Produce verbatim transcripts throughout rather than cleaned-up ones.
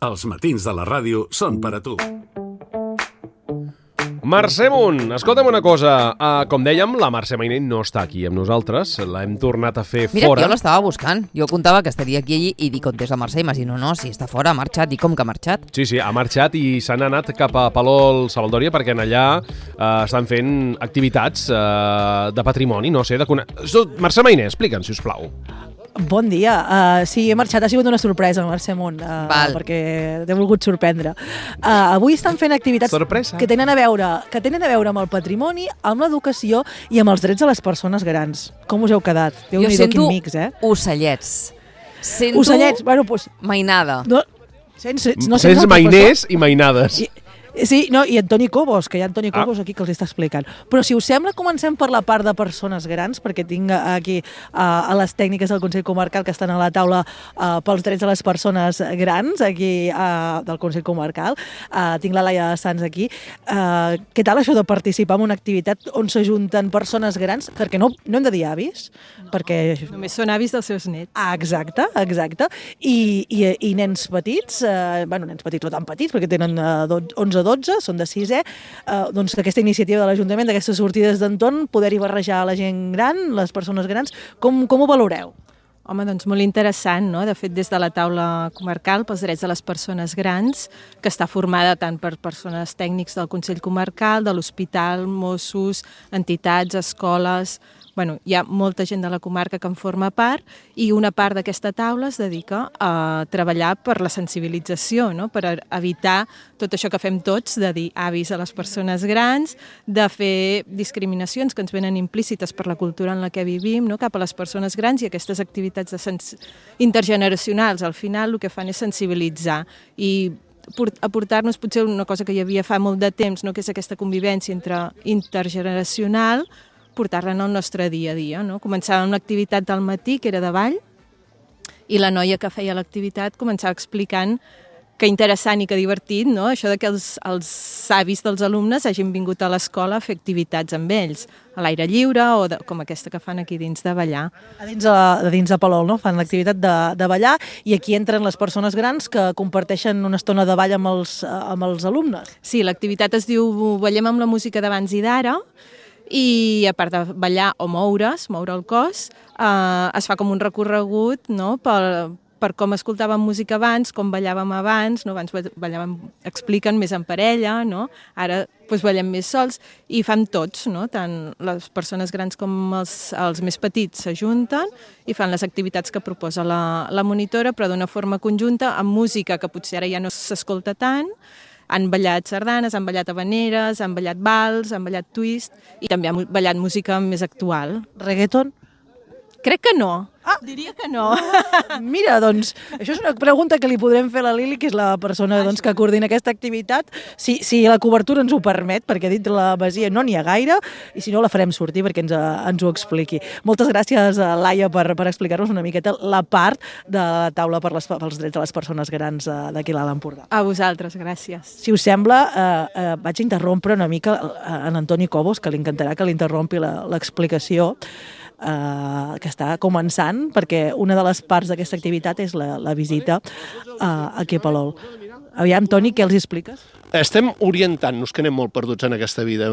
Els matins de la ràdio són per a tu. Mercè Munt, escolta'm una cosa. Uh, com dèiem, la Mercè Mainer no està aquí amb nosaltres. L'hem tornat a fer Mira, fora. Mira, jo l'estava buscant. Jo comptava que estaria aquí i dic on és la Mercè. Imagino, no, si està fora, ha marxat. I com que ha marxat? Sí, sí, ha marxat i s'han anat cap a Palol Sabaldòria perquè en allà uh, estan fent activitats uh, de patrimoni, no sé, de cone... Mercè Mainer, explica'ns, si us plau. Bon dia. Uh, sí, he marxat. Ha sigut una sorpresa, Mercè Munt, uh, perquè t'he volgut sorprendre. Uh, avui estan fent activitats Sorpresa. que tenen a veure que tenen a veure amb el patrimoni, amb l'educació i amb els drets de les persones grans. Com us heu quedat? Jo sento mix, eh? ocellets. Sento ocellets, bueno, doncs... mainada. No, sense, no Sents mainers i mainades. I, sí, no, i Antoni Cobos, que hi ha Antoni Cobos ah. aquí que els està explicant. Però si us sembla, comencem per la part de persones grans, perquè tinc aquí uh, a les tècniques del Consell Comarcal que estan a la taula uh, pels drets de les persones grans, aquí uh, del Consell Comarcal. Uh, tinc la Laia Sanz aquí. Uh, què tal això de participar en una activitat on s'ajunten persones grans? Perquè no, no hem de dir avis, no, perquè... Només són avis dels seus nets. Ah, exacte, exacte. I, i, i nens petits, uh, bueno, nens petits no tan petits, perquè tenen uh, onze dotze, són de sisè, eh, doncs aquesta iniciativa de l'Ajuntament, d'aquestes sortides d'entorn, poder-hi barrejar la gent gran, les persones grans, com, com ho valoreu? Home, doncs molt interessant, no? De fet, des de la taula comarcal pels drets de les persones grans, que està formada tant per persones tècnics del Consell Comarcal, de l'Hospital, Mossos, entitats, escoles... Bueno, hi ha molta gent de la comarca que en forma part i una part d'aquesta taula es dedica a treballar per la sensibilització, no? Per evitar tot això que fem tots, de dir avis a les persones grans, de fer discriminacions que ens venen implícites per la cultura en la que vivim, no? Cap a les persones grans, i aquestes activitats de sens... intergeneracionals al final el que fan és sensibilitzar i aportar-nos potser una cosa que hi havia fa molt de temps, no? Que és aquesta convivència entre intergeneracional, portar-la al nostre dia a dia. No? Començava una activitat al matí, que era de ball, i la noia que feia l'activitat començava explicant que interessant i que divertit, no? Això de que els, els avis dels alumnes hagin vingut a l'escola a fer activitats amb ells, a l'aire lliure o de, com aquesta que fan aquí dins de ballar. A dins de, de dins de Palol, no? Fan l'activitat de, de ballar i aquí entren les persones grans que comparteixen una estona de ball amb els, amb els alumnes. Sí, l'activitat es diu Ballem amb la música d'abans i d'ara, i a part de ballar o moure's, moure el cos, eh, es fa com un recorregut, no? per, per com escoltàvem música abans, com ballàvem abans, no? Abans ballàvem, expliquen més en parella, no? Ara doncs, ballem més sols i fan tots, no? Tant les persones grans com els, els més petits s'ajunten i fan les activitats que proposa la, la monitora, però d'una forma conjunta, amb música que potser ara ja no s'escolta tant. Han ballat sardanes, han ballat habaneres, han ballat vals, han ballat twist i també han ballat música més actual. Reggaeton? Crec que no. Ah, diria que no. Mira, doncs, això és una pregunta que li podrem fer a la Lili, que és la persona doncs, que coordina aquesta activitat, si, si la cobertura ens ho permet, perquè dintre la masia no n'hi ha gaire, i si no la farem sortir perquè ens, ens ho expliqui. Moltes gràcies, Laia, per, per explicar-nos una miqueta la part de la taula per les, pels drets de les persones grans d'aquí a l'Alt Empordà. A vosaltres, gràcies. Si us sembla, eh, eh, vaig interrompre una mica en Antoni Cobos, que li encantarà que li interrompi l'explicació, Uh, que està començant, perquè una de les parts d'aquesta activitat és la, la visita uh, aquí a Palol. Aviam, Toni, què els expliques? Estem orientant-nos, que anem molt perduts en aquesta vida.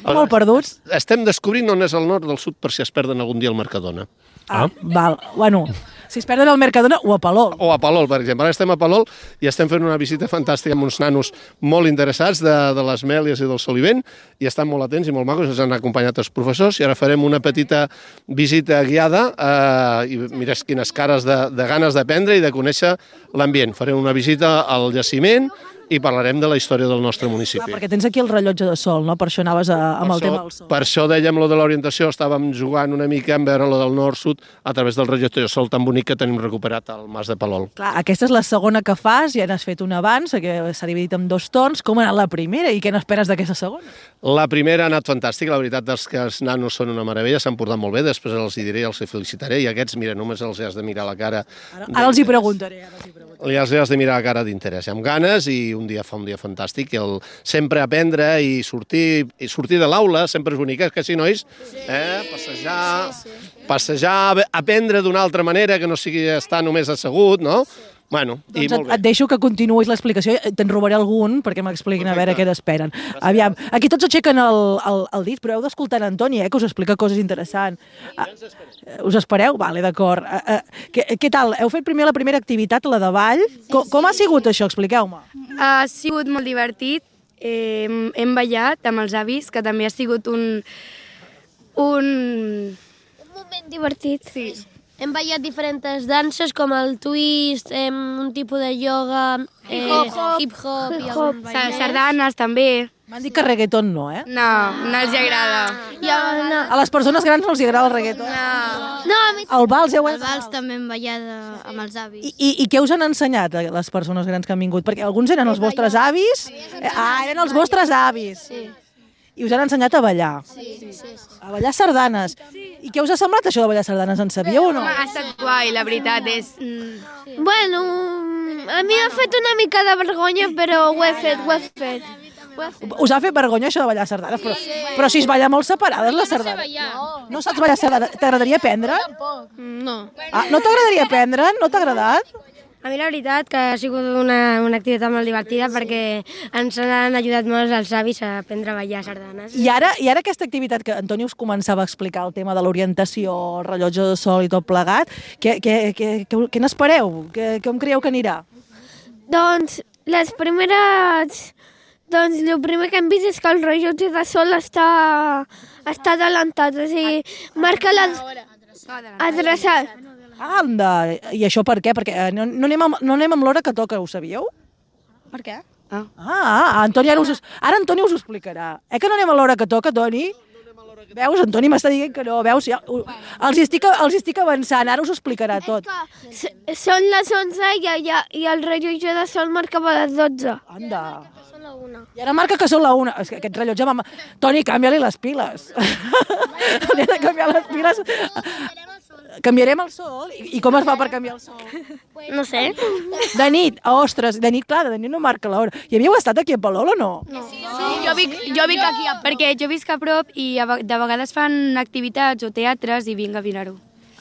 Molt perduts? Estem descobrint on és el nord del sud per si es perden algun dia al Mercadona. Ah, ah. Val. Bueno, si es perden al Mercadona o a Palol. O a Palol, per exemple. Ara estem a Palol i estem fent una visita fantàstica amb uns nanos molt interessats de, de les Mèlies i del Solivent i estan molt atents i molt macos, ens han acompanyat els professors i ara farem una petita visita guiada eh, i mires quines cares de, de ganes d'aprendre i de conèixer l'ambient. Farem una visita al jaciment i parlarem de la història del nostre municipi. Ah, perquè tens aquí el rellotge de sol, no? Per això anaves a, amb el tema del sol. Per això dèiem lo de l'orientació, estàvem jugant una mica en veure lo del nord-sud a través del rellotge de sol tan bonic que tenim recuperat al Mas de Palol. Clar, aquesta és la segona que fas, ja n'has fet una abans, que s'ha dividit en dos torns. Com ha anat la primera i què n'esperes d'aquesta segona? La primera ha anat fantàstica, la veritat és que els nanos són una meravella, s'han portat molt bé, després els hi diré, els hi felicitaré, i aquests, mira, només els has de mirar la cara. Ara, ara els hi preguntaré, ara els hi preguntaré. Li has de mirar la cara d'interès, amb ganes, i un dia fa un dia fantàstic. El sempre aprendre i sortir, i sortir de l'aula sempre és bonic, que sí, nois? Eh? Passejar, passejar, aprendre d'una altra manera, que no sigui estar només assegut, no? Bueno, i Doncs molt et, bé. et deixo que continuïs l'explicació, te'n robaré algun perquè m'expliquin a veure què n'esperen. Aviam, aquí tots aixequen el, el, el dit, però heu d'escoltar en Antoni, eh, que us explica coses interessants. Ah, us espereu? Vale, d'acord. Ah, ah, què, què tal? Heu fet primer la primera activitat, la de ball. Com, com ha sigut això? Expliqueu-me. Ha sigut molt divertit. Eh, hem ballat amb els avis, que també ha sigut un... un... Un moment divertit. Sí. Hem ballat diferents danses com el twist, em, un tipus de yoga, eh, hip-hop i algun ballet. Sardanes també. M'han dit que reggaeton no, eh? No, no els agrada. Ja, no. A les persones grans no els agrada el reggaeton. No. No, a mi... El vals, heu... El vals també hem ballat eh, amb els avis. I, i, I què us han ensenyat a les persones grans que han vingut? Perquè alguns eren els vostres avis. Eh, Ah, eren els vostres avis. Sí. I us han ensenyat a ballar. Sí, sí, sí. A ballar sardanes. I què us ha semblat això de ballar sardanes? En sabíeu o no? Ha estat guai, la veritat és... mm, Bueno, a mi m'ha fet una mica de vergonya, però ho he fet, ho he fet. Ho he fet. Us ha fet vergonya això de ballar sardanes, però, però si es balla molt separades les sardanes. No, no saps ballar sardanes. T'agradaria aprendre? No. Ah, no t'agradaria aprendre? No t'ha agradat? A mi la veritat que ha sigut una, una activitat molt divertida perquè ens han ajudat molt els avis a aprendre a ballar sardanes. I ara, I ara aquesta activitat que Antoni us començava a explicar, el tema de l'orientació, el rellotge de sol i tot plegat, què, què, què, què, què n'espereu? Què, què em creieu que anirà? Doncs les primeres... Doncs el primer que hem vist és que el rellotge de sol està, està adelantat, o sigui, marca la... adreçat. Anda! I això per què? Perquè eh, no, no, anem amb, no anem amb l'hora que toca, ho sabíeu? Per què? Ah, ah Antoni, ara, us, ara Antoni us ho explicarà. Eh que no anem a l'hora que toca, Toni? Veus, Antoni m'està dient que no, veus? Ja, uh, els, hi estic, els hi estic avançant, ara us ho explicarà tot. S- Són les onze i, i, i el rellotge de sol marcava les dotze. Anda. Són la una. I ara marca que són la una. És que aquest rellotge... Va... Toni, canvia-li les piles. Li ha de canviar les piles. Canviarem el sol? I, I com es fa per canviar el sol? No sé. De nit, ostres, de nit, clar, de nit no marca l'hora. I havíeu estat aquí a Palol o no? Sí, jo vic, jo vic aquí, perquè jo visc a prop i a ve- de vegades fan activitats o teatres i vinc a mirar-ho.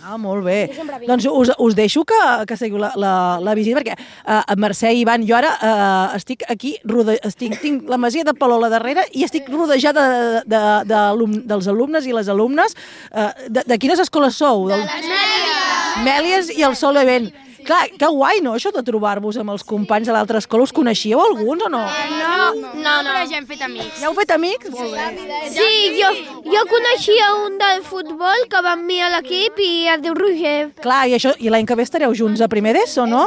Ah, molt bé. Doncs us, us deixo que, que seguiu la, la, la visita, perquè uh, Mercè i Ivan, jo ara uh, estic aquí, rode, estic, tinc la masia de Palol a darrere i estic rodejada de, de, de, alum, dels alumnes i les alumnes. Uh, de, de quines escoles sou? Del... Les Mèlies. Mèlies i el Sol Event. Clar, que guai, no?, això de trobar-vos amb els companys de l'altra escola. Us coneixíeu alguns o no? No, no, no, però ja hem fet amics. Ja heu fet amics? Molt bé. Sí, jo, jo coneixia un del futbol que va amb mi a l'equip i es diu Roger. Clar, i, això, i l'any que ve estareu junts a primer d'ESO, no?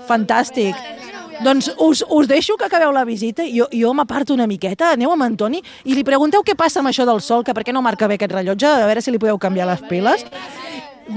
Fantàstic. Doncs us, us deixo que acabeu la visita i jo, jo m'aparto una miqueta, aneu amb Antoni i li pregunteu què passa amb això del sol, que per què no marca bé aquest rellotge, a veure si li podeu canviar les piles.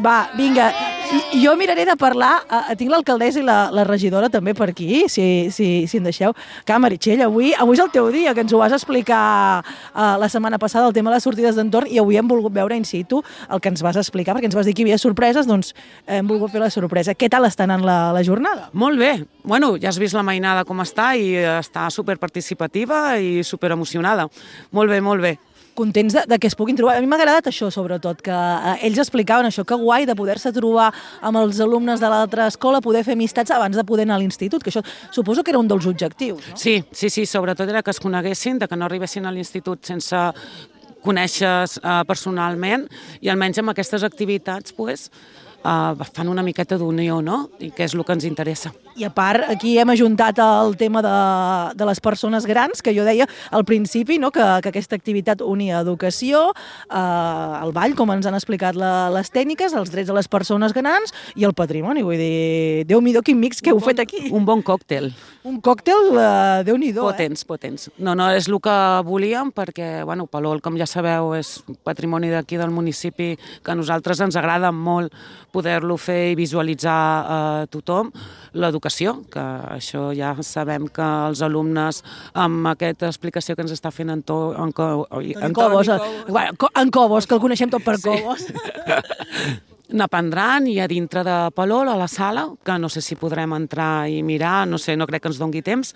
Va, vinga, I- jo miraré de parlar, uh, tinc l'alcaldessa i la, la regidora també per aquí, si, si, si em deixeu. Clar, Meritxell, avui, avui és el teu dia, que ens ho vas explicar uh, la setmana passada, el tema de les sortides d'entorn, i avui hem volgut veure in situ el que ens vas explicar, perquè ens vas dir que hi havia sorpreses, doncs hem volgut fer la sorpresa. Què tal està anant la, la jornada? Molt bé. Bueno, ja has vist la mainada com està i està superparticipativa i superemocionada. Molt bé, molt bé. Contents de, de que es puguin trobar. A mi m'ha agradat això, sobretot, que eh, ells explicaven això, que guai de poder-se trobar amb els alumnes de l'altra escola, poder fer amistats abans de poder anar a l'institut, que això suposo que era un dels objectius, no? Sí, sí, sí, sobretot era que es coneguessin, de que no arribessin a l'institut sense conèixer eh, personalment i almenys amb aquestes activitats pues, eh, fan una miqueta d'unió, no? I que és el que ens interessa. I a part, aquí hem ajuntat el tema de, de les persones grans, que jo deia al principi, no? que, que aquesta activitat unia educació, eh, el ball, com ens han explicat la, les tècniques, els drets de les persones grans i el patrimoni. Vull dir, Déu-n'hi-do, quin mix que heu fet aquí. Un bon còctel. Un còctel, eh, Déu-n'hi-do, eh? Potents, potents. No, no, és el que volíem perquè, bueno, Palol, com ja sabeu, és patrimoni d'aquí del municipi que a nosaltres ens agrada molt poder-lo fer i visualitzar a eh, tothom. L'educació, que això ja sabem que els alumnes amb aquesta explicació que ens està fent en, to, en, co, oi, En Cobos, eh? Bueno, Co- en Cobos, que el coneixem tot per Cobos. n'aprendran i a dintre de Palol, a la sala, que no sé si podrem entrar i mirar, no sé, no crec que ens dongui temps,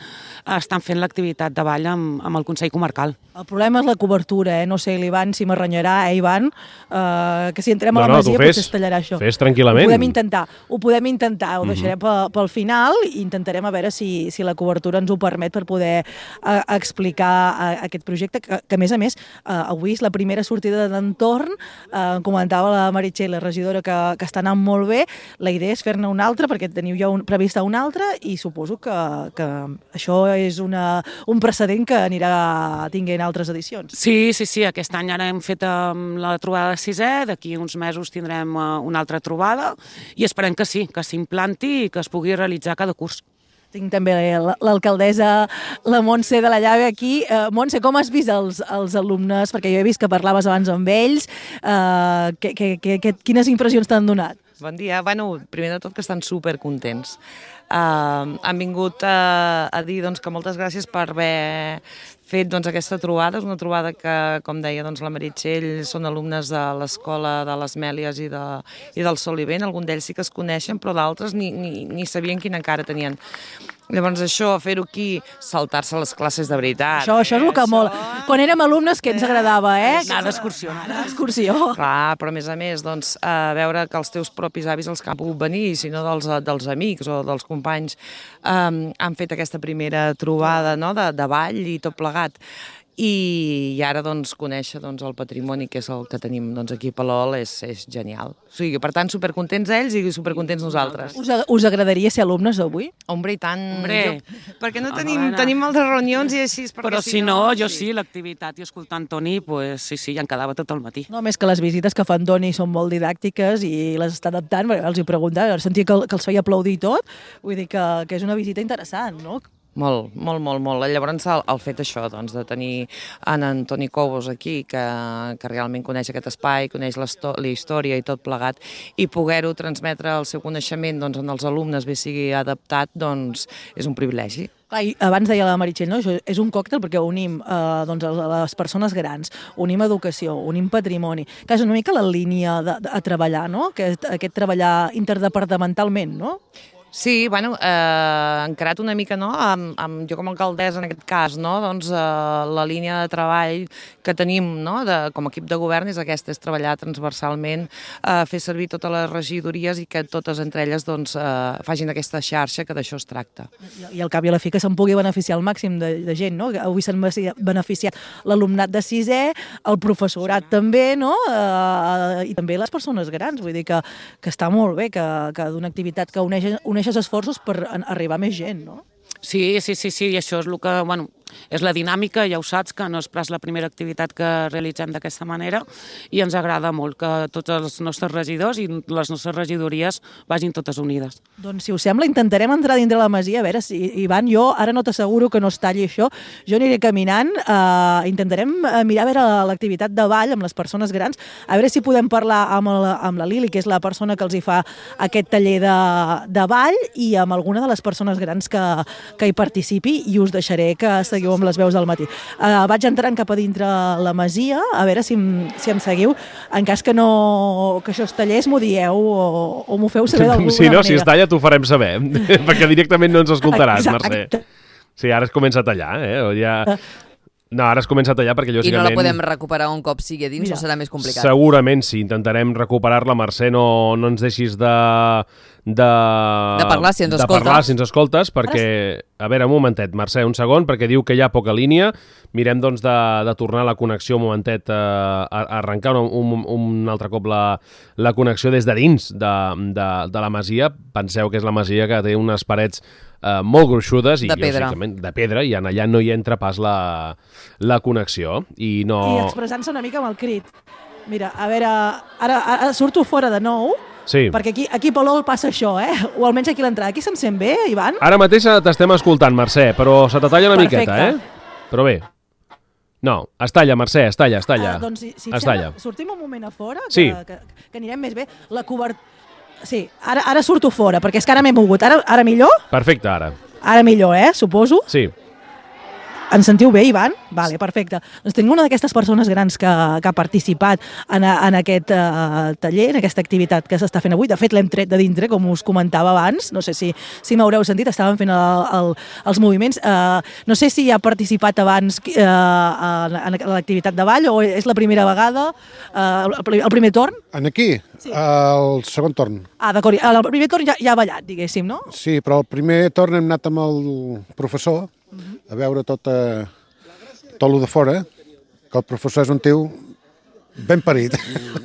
estan fent l'activitat de ball amb, amb el Consell Comarcal. El problema és la cobertura, eh? No sé, l'Ivan si m'arrenyarà, eh, Ivan? Uh, que si entrem no, a la no, masia fes, potser es tallarà això. Fes tranquil·lament. Ho podem intentar, ho podem intentar, ho deixarem Mm-hmm. pel, pel final i intentarem a veure si, si la cobertura ens ho permet per poder uh, explicar uh, aquest projecte, que, que a més a més, uh, avui és la primera sortida d'entorn, uh, comentava la Meritxell, la regidora, que, que està anant molt bé. La idea és fer-ne una altra, perquè teniu ja un, prevista una altra, i suposo que, que això és una, un precedent que anirà tinguent altres edicions. Sí, sí, sí, aquest any ara hem fet um, la trobada de sisè, d'aquí uns mesos tindrem uh, una altra trobada, i esperem que sí, que s'implanti i que es pugui realitzar cada curs. Tinc també l'alcaldessa, la Montse de la Llave aquí. Uh, Montse, com has vist els, els alumnes? Perquè jo he vist que parlaves abans amb ells. Uh, que, que, que, que, quines impressions t'han donat? Bon dia. Bueno, primer de tot que estan supercontents. Uh, han vingut uh, a dir doncs, que moltes gràcies per haver fet doncs, aquesta trobada. És una trobada que, com deia doncs, la Meritxell, són alumnes de l'escola de les Mèlies i, de, i del Solivent. Alguns d'ells sí que es coneixen, però d'altres ni, ni, ni sabien quina encara tenien. Llavors això, fer-ho aquí, saltar-se les classes de veritat. Això, això és el que això... molt... Quan érem alumnes, que ens agradava, eh? Anar d'excursió. Anar d'excursió. Clar, però a més a més, doncs, a veure que els teus propis avis, els que han pogut venir, sinó dels, dels amics o dels companys, um, han fet aquesta primera trobada, no?, de, de ball i tot plegat. I, i ara doncs, conèixer doncs, el patrimoni que és el que tenim doncs, aquí a Palol és, és genial. O sigui, per tant, supercontents ells i supercontents nosaltres. Us, us agradaria ser alumnes avui? Hombre, i tant. Hombre. Jo, perquè no tenim, tenim moltes reunions i així... Però si no, jo sí, l'activitat i escoltant Toni, pues, sí, sí, ja en quedava tot el matí. No, més que les visites que fan Toni són molt didàctiques i les està adaptant, els hi preguntava, sentia que, que els feia aplaudir tot, vull dir que, que és una visita interessant, no? Molt, molt, molt, molt. Llavors el, el fet això, doncs, de tenir en Antoni Cobos aquí, que, que realment coneix aquest espai, coneix la història i tot plegat, i poder-ho transmetre el seu coneixement doncs, en els alumnes, bé sigui adaptat, doncs és un privilegi. Clar, abans deia la Meritxell, no? Això és un còctel perquè unim eh, doncs, les persones grans, unim educació, unim patrimoni, que és una mica la línia de, de, a treballar, no? Aquest, aquest treballar interdepartamentalment, no? Sí, bueno, eh, encarat una mica, no?, amb, amb, jo com a alcaldessa en aquest cas, no?, doncs eh, la línia de treball que tenim, no?, de, com a equip de govern és aquesta, és treballar transversalment, eh, fer servir totes les regidories i que totes entre elles, doncs, eh, facin aquesta xarxa, que d'això es tracta. I, I al cap i a la fi que se'n pugui beneficiar el màxim de, de gent, no?, avui s'han beneficiat l'alumnat de sisè, el professorat també, no?, eh, i també les persones grans, vull dir que, que està molt bé, que, que d'una activitat que uneix, uneix esforços per arribar a més gent, no? Sí, sí, sí, sí, i això és el que, bueno, és la dinàmica, ja ho saps, que no és pas la primera activitat que realitzem d'aquesta manera i ens agrada molt que tots els nostres regidors i les nostres regidories vagin totes unides. Doncs, si us sembla, intentarem entrar dintre la masia, a veure si, Ivan, jo ara no t'asseguro que no es talli això, jo aniré caminant, eh, intentarem mirar a veure l'activitat de ball amb les persones grans, a veure si podem parlar amb, el, amb la Lili, que és la persona que els hi fa aquest taller de, de ball, i amb alguna de les persones grans que, que hi participi, i us deixaré que seguiu amb les veus del matí. Uh, vaig entrant cap a dintre la masia, a veure si em, si em seguiu. En cas que, no, que això es tallés, m'ho dieu o, o m'ho feu saber d'alguna si no, manera. Si es talla, t'ho farem saber, perquè directament no ens escoltaràs, Mercè. Exacte. Sí, ara es comença a tallar, eh? O ja... No, ara es comença a tallar perquè lògicament... I no la podem recuperar un cop sigui a dins, Mira, o serà més complicat? Segurament sí, intentarem recuperar-la. Mercè, no, no ens deixis de... De, de parlar si ens de escoltes. parlar si ens escoltes, perquè... A veure, un momentet, Mercè, un segon, perquè diu que hi ha poca línia. Mirem, doncs, de, de tornar la connexió un momentet, eh, a, a arrencar un, un, un altre cop la, la connexió des de dins de, de, de la masia. Penseu que és la masia que té unes parets eh, molt gruixudes i, de pedra. de pedra, i en allà no hi entra pas la, la connexió. I, no... I expressant-se una mica amb el crit. Mira, a veure, ara, ara surto fora de nou, sí. perquè aquí, aquí a Palol passa això, eh? O almenys aquí a l'entrada. Aquí se'm sent bé, Ivan? Ara mateix t'estem escoltant, Mercè, però se te talla una Perfecte. miqueta, eh? Però bé. No, es talla, Mercè, es talla, es talla. Uh, doncs, si, si es sembla, talla. sortim un moment a fora, que, Sí. que, que anirem més bé. La cobertura... Sí, ara, ara surto fora, perquè és que ara m'he mogut. Ara, ara millor? Perfecte, ara. Ara millor, eh? Suposo. Sí. Ens sentiu bé, Ivan? Vale, perfecte. Doncs tinc una d'aquestes persones grans que, que ha participat en, en aquest uh, taller, en aquesta activitat que s'està fent avui. De fet, l'hem tret de dintre, com us comentava abans. No sé si, si m'haureu sentit, estàvem fent el, el, els moviments. Uh, no sé si ha participat abans uh, en, en l'activitat de ball o és la primera vegada, uh, el, el primer torn? En aquí? Sí. El segon torn. Ah, d'acord. El primer torn ja, ja ha ballat, diguéssim, no? Sí, però el primer torn hem anat amb el professor a veure tot, eh, tot el de fora, que el professor és un tio ben parit.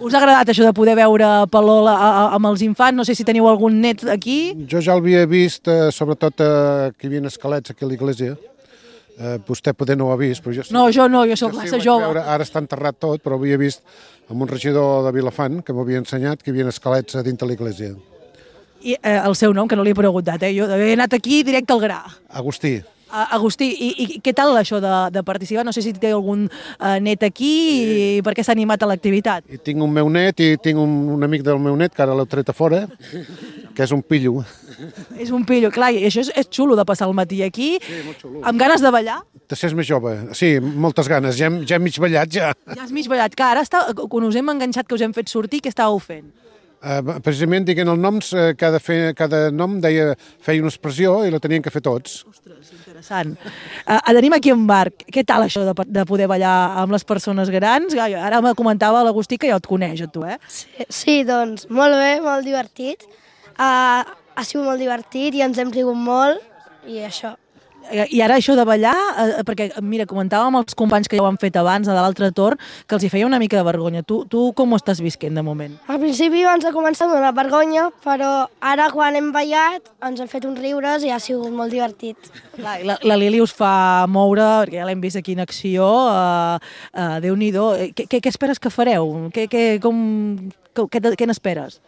Us ha agradat això de poder veure Palol amb els infants? No sé si teniu algun net aquí. Jo ja l'havia vist, eh, sobretot eh, que hi havia esquelets aquí a l'església. Eh, vostè poder no ho ha vist, però jo sí. No, jo no, jo soc jo massa sí, jove. Veure, ara està enterrat tot, però havia vist amb un regidor de Vilafant que m'havia ensenyat que hi havia esquelets a dintre l'església. I eh, el seu nom, que no li he preguntat, eh? Jo he anat aquí directe al gra. Agustí. Uh, Agustí, i, i què tal això de, de participar? No sé si té algun uh, net aquí i per què s'ha animat a l'activitat. I tinc un meu net i tinc un, un amic del meu net que ara l'he tret a fora, que és un pillo. És un pillo, clar, i això és, és xulo de passar el matí aquí, sí, molt xulo. Amb ganes de ballar. De ser més jove, sí, moltes ganes, ja hem, ja hem mig ballat ja. Ja has mig ballat, que ara està, quan us hem enganxat, que us hem fet sortir, què estàveu fent? Uh, precisament dient els noms, uh, cada, fe, cada nom deia, feia una expressió i la tenien que fer tots. Ostres, interessant. Uh, tenim aquí en Marc. Què tal això de, de poder ballar amb les persones grans? Ara me comentava l'Agustí que ja et coneix, a tu, eh? Sí, sí, doncs molt bé, molt divertit. Uh, ha sigut molt divertit i ens hem rigut molt i això. I ara això de ballar, eh, perquè mira, comentàvem els companys que ja ho han fet abans, de l'altre torn, que els hi feia una mica de vergonya. Tu, tu com ho estàs visquent de moment? Al principi ens ha començat a donar vergonya, però ara quan hem ballat ens hem fet uns riures i ha sigut molt divertit. Clar, la, la Lili us fa moure, perquè ja l'hem vist aquí en acció, uh, uh, Déu-n'hi-do. Què, què, què esperes que fareu? Què, què, com, què, què n'esperes?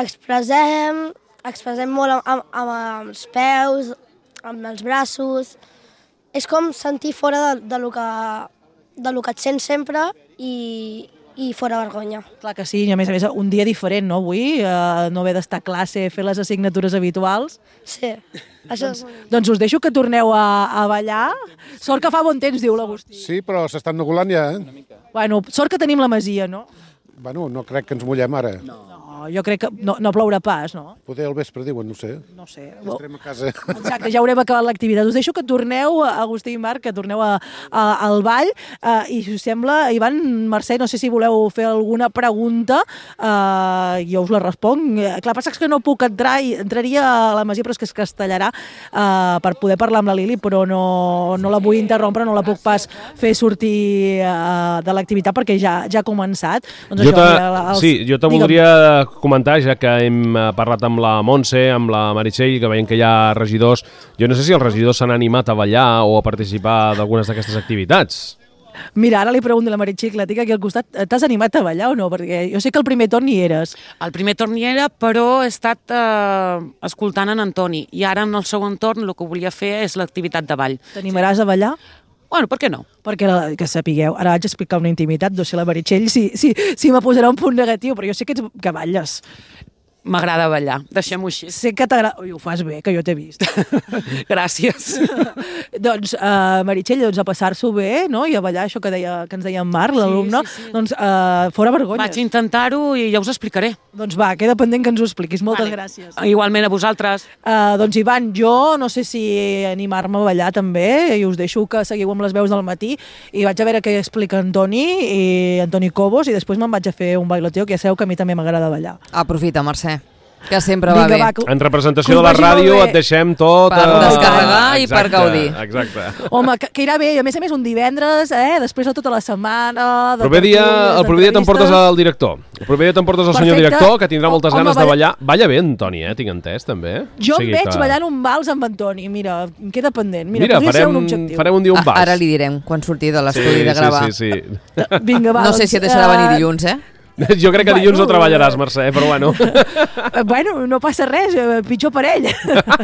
Expressem, expressem molt amb, amb, amb els peus, amb els braços. És com sentir fora de, de, lo que, de lo que et sents sempre i, i fora vergonya. Clar que sí, i a més a més un dia diferent, no, avui? Uh, no haver d'estar a classe, fer les assignatures habituals. Sí. Això doncs, doncs us deixo que torneu a, a ballar. Sort que fa bon temps, diu l'Agustí. Sí, però s'estan nugulant ja, eh? Bueno, sort que tenim la masia, no? Bueno, no crec que ens mullem ara. No. Jo crec que no, no plourà pas, no? Poder al vespre diuen, no sé. No sé. Estarem a casa. Exacte, ja haurem acabat l'activitat. Us deixo que torneu, Agustí i Marc, que torneu a, a, al ball. Uh, I si us sembla, Ivan, Mercè, no sé si voleu fer alguna pregunta. Uh, jo us la responc. Uh, clar, passa que no puc entrar, i entraria a la masia, però és que es castellarà uh, per poder parlar amb la Lili, però no, no la vull interrompre, no la puc pas fer sortir uh, de l'activitat perquè ja, ja ha començat. Doncs jo això, te, mira, els... sí, jo te voldria comentar, ja que hem parlat amb la Montse, amb la Meritxell, que veiem que hi ha regidors. Jo no sé si els regidors s'han animat a ballar o a participar d'algunes d'aquestes activitats. Mira, ara li pregunto a la Meritxell, que la tinc aquí al costat, t'has animat a ballar o no? Perquè jo sé que el primer torn hi eres. El primer torn hi era, però he estat eh, escoltant en Antoni, i ara en el segon torn el que volia fer és l'activitat de ball. T'animaràs a ballar? Bueno, per què no? Perquè, la, que sapigueu, ara vaig explicar una intimitat, no sé la Meritxell si, si, si me posarà un punt negatiu, però jo sé que, ets, que balles. M'agrada ballar, deixem-ho així. Sé que t'agrada... Ui, ho fas bé, que jo t'he vist. Gràcies. Doncs, uh, Meritxell, doncs a passar-s'ho bé, no? I a ballar, això que, deia, que ens deia en Marc, l'alumne, sí, sí, sí. Doncs uh, fora vergonya. Vaig intentar-ho i ja us explicaré. Doncs va, queda pendent que ens ho expliquis. Moltes vale. gràcies. Igualment a vosaltres. Uh, doncs, Ivan, jo no sé si animar-me a ballar també, i us deixo que seguiu amb les veus del matí, i vaig a veure què explica Antoni, i Antoni Cobos, i després me'n vaig a fer un bailoteo, que ja sabeu que a mi també m'agrada ballar. Aprofita, Mercè. Que sempre va Vinga, bé. Va, que, en representació de la ràdio et deixem tot... Per uh... descarregar i exacte, per gaudir. Exacte. Home, que, que irà bé. A més a més, un divendres, eh, després de tota la setmana... De proper dia, el proper dia t'emportes al director. El proper dia t'emportes al senyor director, que tindrà moltes Home, ganes balla... de ballar. Balla bé, Antoni, eh? Tinc entès, també. Jo o sigui em veig que... ballant un vals amb Antoni. Mira, em queda pendent. Mira, Mira podria farem, ser un objectiu. farem un dia un vals. Ara li direm, quan surti de l'estudi sí, de gravar. Sí, sí, sí. Vinga, va, no sé doncs, si et deixarà uh... venir dilluns, eh? Jo crec que dilluns bueno, no treballaràs, Mercè, però bueno. Bueno, no passa res, pitjor per ell.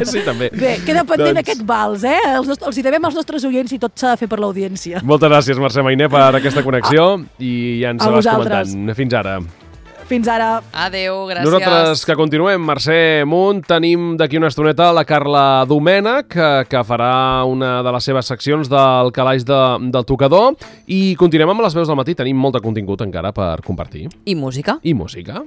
Sí, també. Bé, queda pendent doncs... aquest vals, eh? Els, els hi devem als nostres oients i tot s'ha de fer per l'audiència. Moltes gràcies, Mercè Mainer, per aquesta connexió i ja ens a vas vosaltres. comentant. Fins ara. Fins ara. Adéu, gràcies. Nosaltres que continuem, Mercè Munt, tenim d'aquí una estoneta la Carla Domènech, que, que farà una de les seves seccions del calaix de, del tocador, i continuem amb les veus del matí. Tenim molt de contingut encara per compartir. I música. I música.